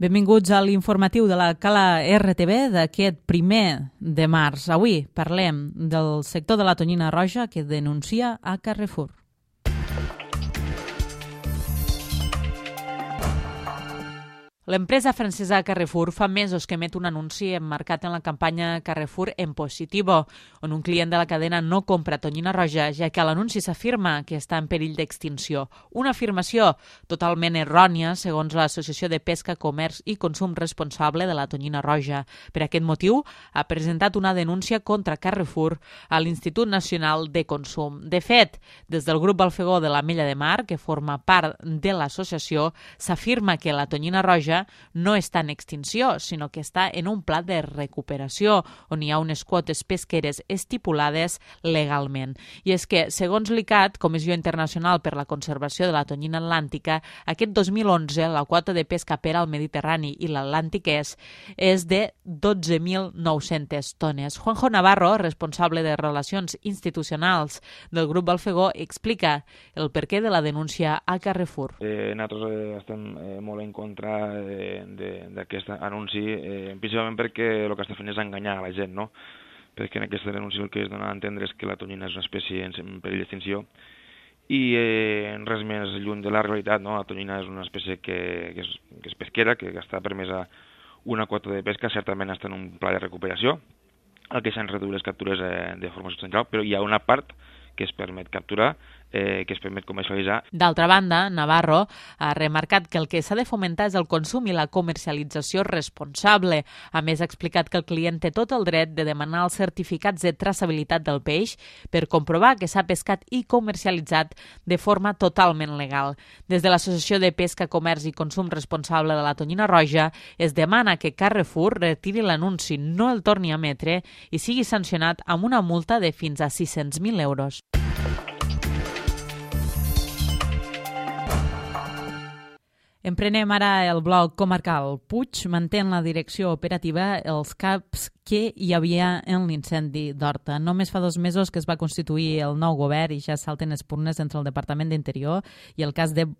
Benvinguts a l'informatiu de la Cala RTV d'aquest 1 de març. Avui parlem del sector de la tonyina roja que denuncia a Carrefour. L'empresa francesa Carrefour fa mesos que emet un anunci emmarcat en la campanya Carrefour en positivo, on un client de la cadena no compra tonyina roja, ja que a l'anunci s'afirma que està en perill d'extinció. Una afirmació totalment errònia, segons l'Associació de Pesca, Comerç i Consum Responsable de la tonyina roja. Per aquest motiu, ha presentat una denúncia contra Carrefour a l'Institut Nacional de Consum. De fet, des del grup Balfegó de l'Ametlla de Mar, que forma part de l'associació, s'afirma que la tonyina roja no està en extinció, sinó que està en un pla de recuperació, on hi ha unes quotes pesqueres estipulades legalment. I és que, segons l'ICAT, Comissió Internacional per la Conservació de la Tonyina Atlàntica, aquest 2011 la quota de pesca per al Mediterrani i l'Atlàntic és de 12.900 tones. Juanjo Navarro, responsable de Relacions Institucionals del grup Balfegó, explica el perquè de la denúncia a Carrefour. Nosaltres estem molt en contra d'aquest anunci, principalment perquè el que està fent és enganyar a la gent, no? Perquè en aquesta denúncia el que es dona a entendre és que la tonyina és una espècie en perill d'extinció i res més lluny de la realitat, no? La tonyina és una espècie que és pesquera, que està permesa una quota de pesca, certament està en un pla de recuperació, el que s'han reduït les captures de forma substancial, però hi ha una part que es permet capturar, que es permet comercialitzar. D'altra banda, Navarro ha remarcat que el que s'ha de fomentar és el consum i la comercialització responsable. A més, ha explicat que el client té tot el dret de demanar els certificats de traçabilitat del peix per comprovar que s'ha pescat i comercialitzat de forma totalment legal. Des de l'Associació de Pesca, Comerç i Consum Responsable de la Tonyina Roja es demana que Carrefour retiri l'anunci, no el torni a emetre i sigui sancionat amb una multa de fins a 600.000 euros. Emprenem ara el bloc comarcal. Puig manté en la direcció operativa els caps que hi havia en l'incendi d'Horta. Només fa 2 mesos que es va constituir el nou govern i ja salten espurnes entre el Departament d'Interior i el cos de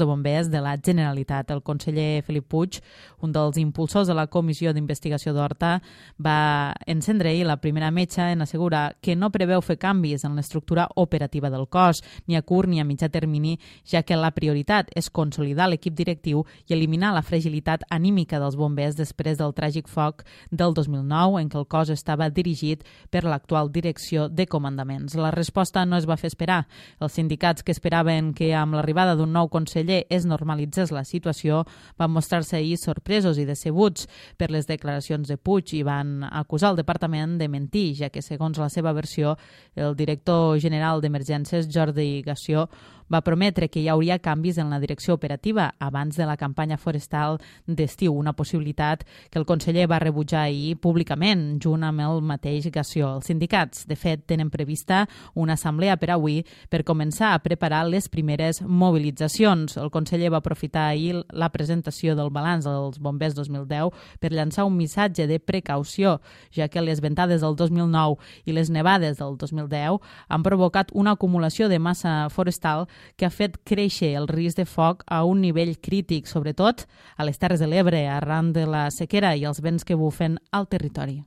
bombers de la Generalitat. El conseller Felip Puig, un dels impulsors de la Comissió d'Investigació d'Horta, va encendre ahir la primera metxa en assegurar que no preveu fer canvis en l'estructura operativa del cos, ni a curt ni a mitjà termini, ja que la prioritat és consolidar l'equip directiu i eliminar la fragilitat anímica dels bombers després del tràgic foc del 2009, en què el cos estava dirigit per l'actual direcció de comandaments. La resposta no es va fer esperar. Els sindicats que esperaven que amb l'arribada d'un nou conseller es normalitzés la situació van mostrar-se ahir sorpresos i decebuts per les declaracions de Puig i van acusar el departament de mentir, ja que, segons la seva versió, el director general d'Emergències, Jordi Gassió, va prometre que hi hauria canvis en la direcció operativa abans de la campanya forestal d'estiu, una possibilitat que el conseller va rebutjar ahir públicament, junt amb el mateix Gassió. Els sindicats, de fet, tenen prevista una assemblea per avui per començar a preparar les primeres mobilitzacions. El conseller va aprofitar ahir la presentació del balanç dels bombers 2010 per llançar un missatge de precaució, ja que les ventades del 2009 i les nevades del 2010 han provocat una acumulació de massa forestal que ha fet créixer el risc de foc a un nivell crític, sobretot a les Terres de l'Ebre, arran de la sequera i els vents que bufen al territori.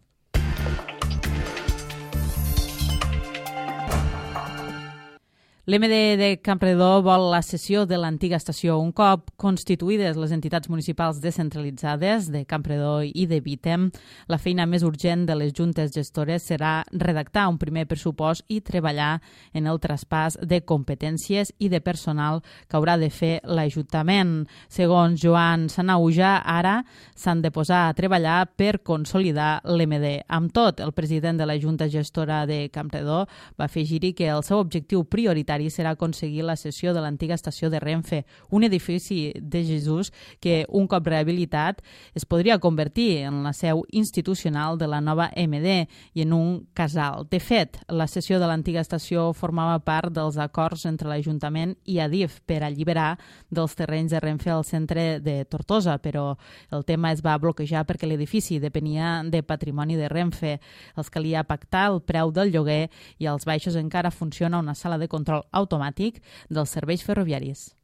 L'MD de Campredó vol la cessió de l'antiga estació. Un cop constituïdes les entitats municipals descentralitzades de Campredó i de Vítem, la feina més urgent de les juntes gestores serà redactar un primer pressupost i treballar en el traspàs de competències i de personal que haurà de fer l'Ajuntament. Segons Joan Sanauja, ara s'han de posar a treballar per consolidar l'MD. Amb tot, el president de la Junta Gestora de Campredó va afegir-hi que el seu objectiu prioritari serà aconseguir la cessió de l'antiga estació de Renfe, un edifici de Jesús que, un cop rehabilitat, es podria convertir en la seu institucional de la nova MD i en un casal. De fet, la cessió de l'antiga estació formava part dels acords entre l'Ajuntament i Adif per alliberar dels terrenys de Renfe al centre de Tortosa, però el tema es va bloquejar perquè l'edifici depenia de patrimoni de Renfe. Els calia pactar el preu del lloguer i als baixos encara funciona una sala de control automàtic dels serveis ferroviaris.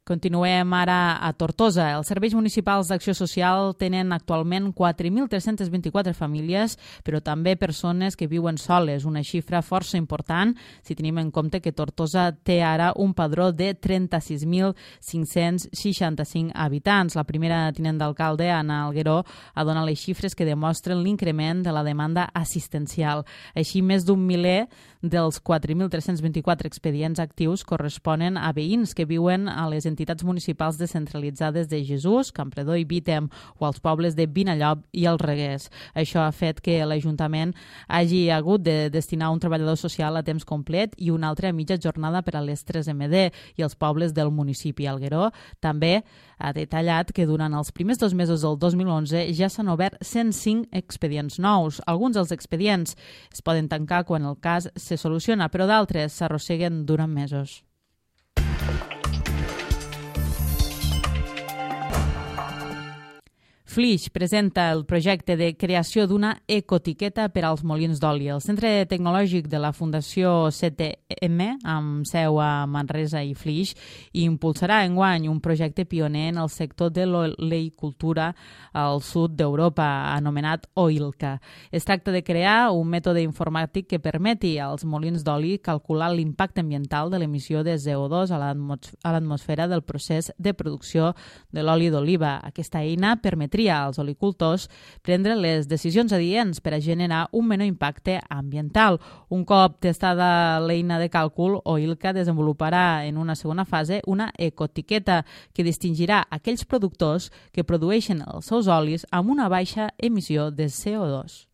Continuem ara a Tortosa. Els serveis municipals d'acció social tenen actualment 4.324 famílies, però també persones que viuen soles, una xifra força important si tenim en compte que Tortosa té ara un padró de 36.565 habitants. La primera tinent d'alcalde, Anna Algueró, ha donat les xifres que demostren l'increment de la demanda assistencial. Així, més d'un miler dels 4.324 expedients actius corresponen a veïns que viuen a les entitats municipals descentralitzades de Jesús, Campredó i Vítem, o als pobles de Vinallop i els Reguers. Això ha fet que l'Ajuntament hagi hagut de destinar un treballador social a temps complet i un altre a mitja jornada per a les 3MD i els pobles del municipi. Algueró també ha detallat que durant els primers 2 mesos del 2011 ja s'han obert 105 expedients nous. Alguns dels expedients es poden tancar quan el cas se soluciona, però d'altres s'arrosseguen durant mesos. Flix presenta el projecte de creació d'una ecotiqueta per als molins d'oli. El Centre Tecnològic de la Fundació CTM, amb seu a Manresa i Flix, impulsarà enguany un projecte pioner en el sector de l'oleicultura al sud d'Europa, anomenat OILCA. Es tracta de crear un mètode informàtic que permeti als molins d'oli calcular l'impacte ambiental de l'emissió de CO2 a l'atmosfera del procés de producció de l'oli d'oliva. Aquesta eina permetria als olicultors prendre les decisions adients per a generar un menor impacte ambiental. Un cop testada l'eina de càlcul, OILCA desenvoluparà en una segona fase una ecotiqueta que distingirà aquells productors que produeixen els seus olis amb una baixa emissió de CO2.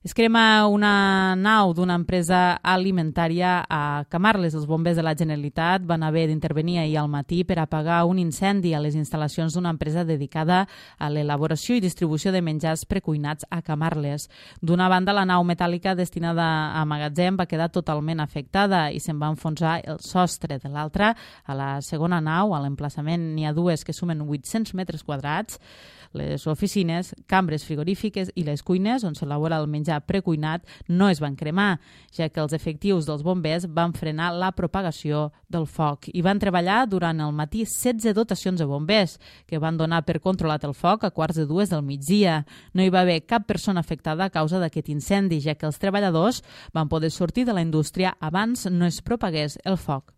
Es crema una nau d'una empresa alimentària a Camarles. Els bombers de la Generalitat van haver d'intervenir ahir al matí per apagar un incendi a les instal·lacions d'una empresa dedicada a l'elaboració i distribució de menjars precuinats a Camarles. D'una banda, la nau metàl·lica destinada a magatzem va quedar totalment afectada i se'n va enfonsar el sostre. De l'altra, a la segona nau, a l'emplaçament, n'hi ha dues que sumen 800 metres quadrats. Les oficines, cambres frigorífiques i les cuines on s'elabora el menjar precuinat no es van cremar, ja que els efectius dels bombers van frenar la propagació del foc i van treballar durant el matí 16 dotacions de bombers, que van donar per controlat el foc a 1:45 del migdia. No hi va haver cap persona afectada a causa d'aquest incendi, ja que els treballadors van poder sortir de la indústria abans no es propagués el foc.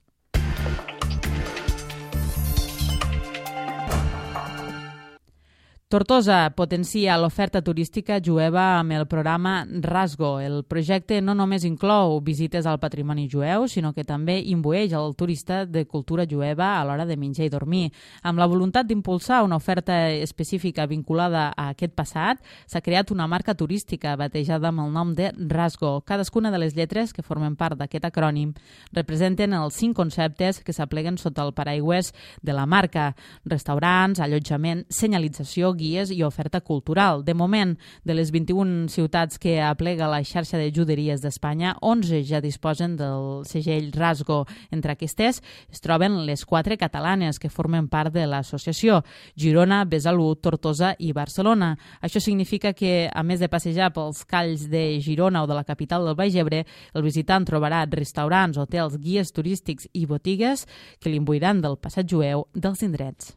Tortosa potencia l'oferta turística jueva amb el programa Rasgo. El projecte no només inclou visites al patrimoni jueu, sinó que també imbueix el turista de cultura jueva a l'hora de menjar i dormir. Amb la voluntat d'impulsar una oferta específica vinculada a aquest passat, s'ha creat una marca turística batejada amb el nom de Rasgo. Cadascuna de les lletres que formen part d'aquest acrònim representen els 5 conceptes que s'apleguen sota el paraigües de la marca: restaurants, allotjament, senyalització, guies i oferta cultural. De moment, de les 21 ciutats que aplega la xarxa de juderies d'Espanya, 11 ja disposen del segell Rasgo. Entre aquestes es troben les 4 catalanes que formen part de l'associació: Girona, Besalú, Tortosa i Barcelona. Això significa que, a més de passejar pels calls de Girona o de la capital del Baix Ebre, el visitant trobarà restaurants, hotels, guies turístics i botigues que l'imbuiran del passat jueu dels indrets.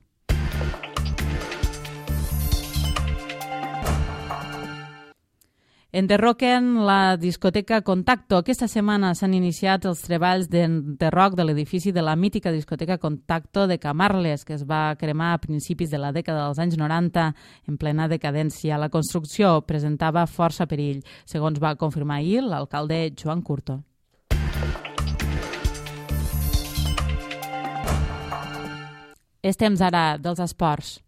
Enderroquen la discoteca Contacto. Aquesta setmana s'han iniciat els treballs d'enderroc de l'edifici de la mítica discoteca Contacto de Camarles, que es va cremar a principis de la dècada dels anys 90 en plena decadència. La construcció presentava força perill, segons va confirmar ahir l'alcalde Joan Curto. És temps ara dels esports.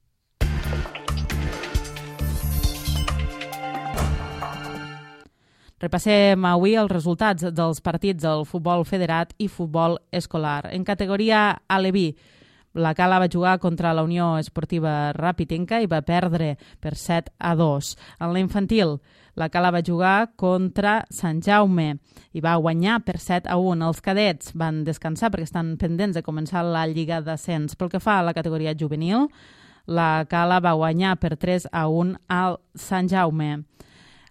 Repassem avui els resultats dels partits del futbol federat i futbol escolar. En categoria Aleví, la Cala va jugar contra la Unió Esportiva Rapitenca i va perdre per 7-2. En la infantil, la Cala va jugar contra Sant Jaume i va guanyar per 7-1. Els cadets van descansar perquè estan pendents de començar la Lliga d'Ascens. Pel que fa a la categoria juvenil, la Cala va guanyar per 3-1 al Sant Jaume.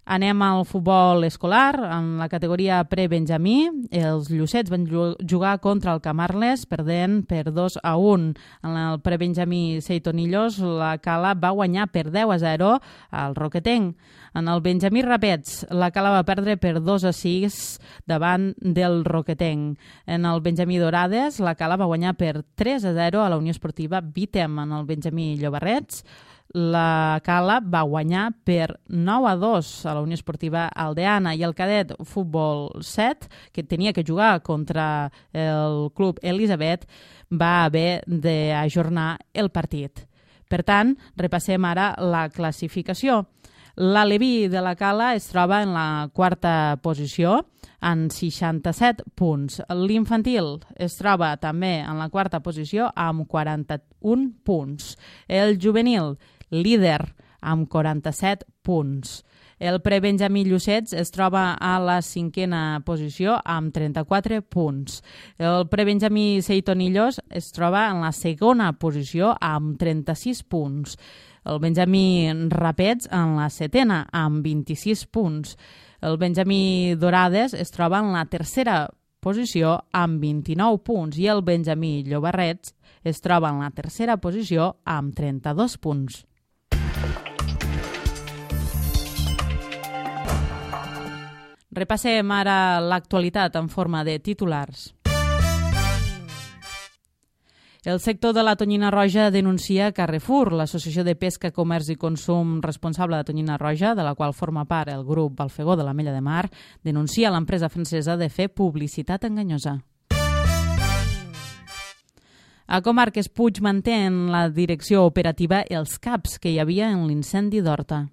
Anem al futbol escolar. En la categoria pre-benjamí, els Llucets van jugar contra el Camarles, perdent per 2-1. En el pre-benjamí Seitonillos, la Cala va guanyar per 10-0 al Roquetenc. En el benjamí Rapets, la Cala va perdre per 2-6 davant del Roquetenc. En el benjamí Dorades, la Cala va guanyar per 3-0 a la Unió Esportiva Vítem. En el benjamí Llobarrets, la Cala va guanyar per 9-2 a la Unió Esportiva Aldeana, i el cadet Futbol 7, que tenia que jugar contra el club Elisabet, va haver d'ajornar el partit. Per tant, repassem ara la classificació. L'Aleví de la Cala es troba en la quarta posició amb 67 punts. L'infantil es troba també en la quarta posició amb 41 punts. El juvenil, líder, amb 47 punts. El prebenjamí Llucets es troba a la cinquena posició amb 34 punts. El prebenjamí Seitonillos es troba en la segona posició amb 36 punts. El benjamí Rapets en la setena amb 26 punts. El benjamí Dorades es troba en la tercera posició amb 29 punts i el benjamí Llobarrets es troba en la tercera posició amb 32 punts. Repassem ara l'actualitat en forma de titulars. El sector de la tonyina roja denuncia Carrefour, l'associació de pesca, comerç i consum responsable de tonyina roja, de la qual forma part el grup Balfegó de l'Ametlla de Mar, denuncia l'empresa francesa de fer publicitat enganyosa. A Comarques Puig manté en la direcció operativa els CAPs que hi havia en l'incendi d'Horta.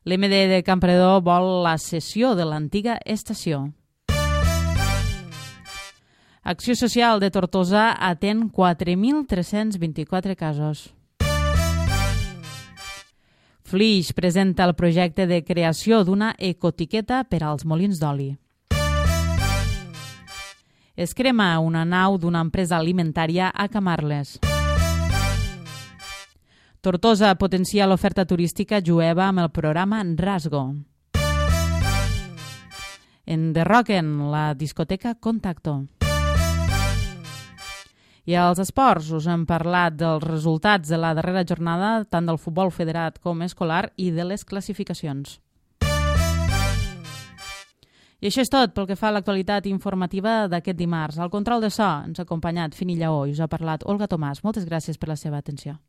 L'MD de Campredó vol la cessió de l'antiga estació. Acció Social de Tortosa atén 4.324 casos. Flix presenta el projecte de creació d'una ecotiqueta per als molins d'oli. Es crema una nau d'una empresa alimentària a Camarles. Tortosa potencia l'oferta turística jueva amb el programa Rasgo. Enderroquen la discoteca Contacto. I als esports us hem parlat dels resultats de la darrera jornada tant del futbol federat com escolar i de les classificacions. I això és tot pel que fa a l'actualitat informativa d'aquest dimarts. Al control de so ens ha acompanyat Fini Lleó i us ha parlat Olga Tomàs. Moltes gràcies per la seva atenció.